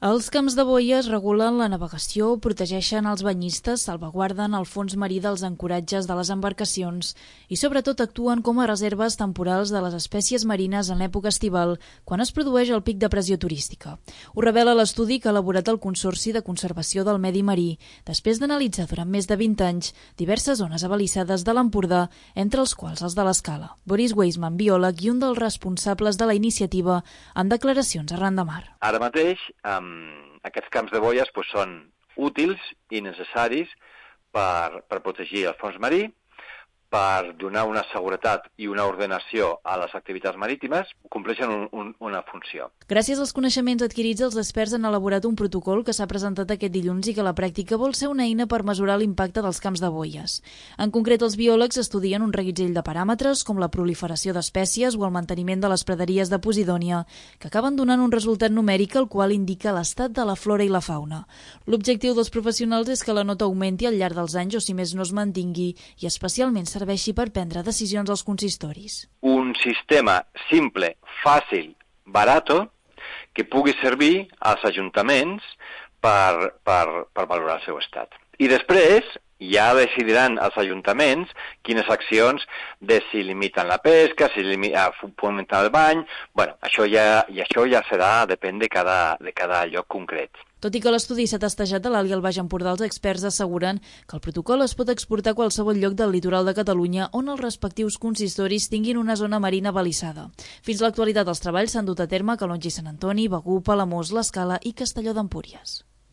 Els camps de boies regulen la navegació, protegeixen els banyistes, salvaguarden el fons marí dels ancoratges de les embarcacions i sobretot actuen com a reserves temporals de les espècies marines en l'època estival, quan es produeix el pic de pressió turística. Ho revela l'estudi que ha elaborat el Consorci de Conservació del Medi Marí, després d'analitzar durant més de 20 anys diverses zones abalissades de l'Empordà, entre els quals els de l'Escala. Boris Weisman, biòleg i un dels responsables de la iniciativa, en declaracions a Ran de Mar. Ara mateix, aquests camps de boies són útils i necessaris per protegir el fons marí, per donar una seguretat i una ordenació a les activitats marítimes, compleixen una funció. Gràcies als coneixements adquirits, els experts han elaborat un protocol que s'ha presentat aquest dilluns i que a la pràctica vol ser una eina per mesurar l'impacte dels camps de boies. En concret, els biòlegs estudien un reguitzell de paràmetres com la proliferació d'espècies o el manteniment de les praderies de Posidònia, que acaben donant un resultat numèric el qual indica l'estat de la flora i la fauna. L'objectiu dels professionals és que la nota augmenti al llarg dels anys o, si més no, es mantingui i especialment serveixi per prendre decisions als consistoris. Un sistema simple, fàcil, barato, que pugui servir als ajuntaments per valorar el seu estat. I després ja decidiran els ajuntaments quines accions si limiten la pesca, si fomenten el bany. Això ja serà, depèn de cada lloc concret. Tot i que l'estudi s'ha testejat a l'Alt i al Baix Empordà, els experts asseguren que el protocol es pot exportar a qualsevol lloc del litoral de Catalunya on els respectius consistoris tinguin una zona marina balissada. Fins a l'actualitat, els treballs s'han dut a terme a Calonge i Sant Antoni, Begur, Palamós, l'Escala i Castelló d'Empúries.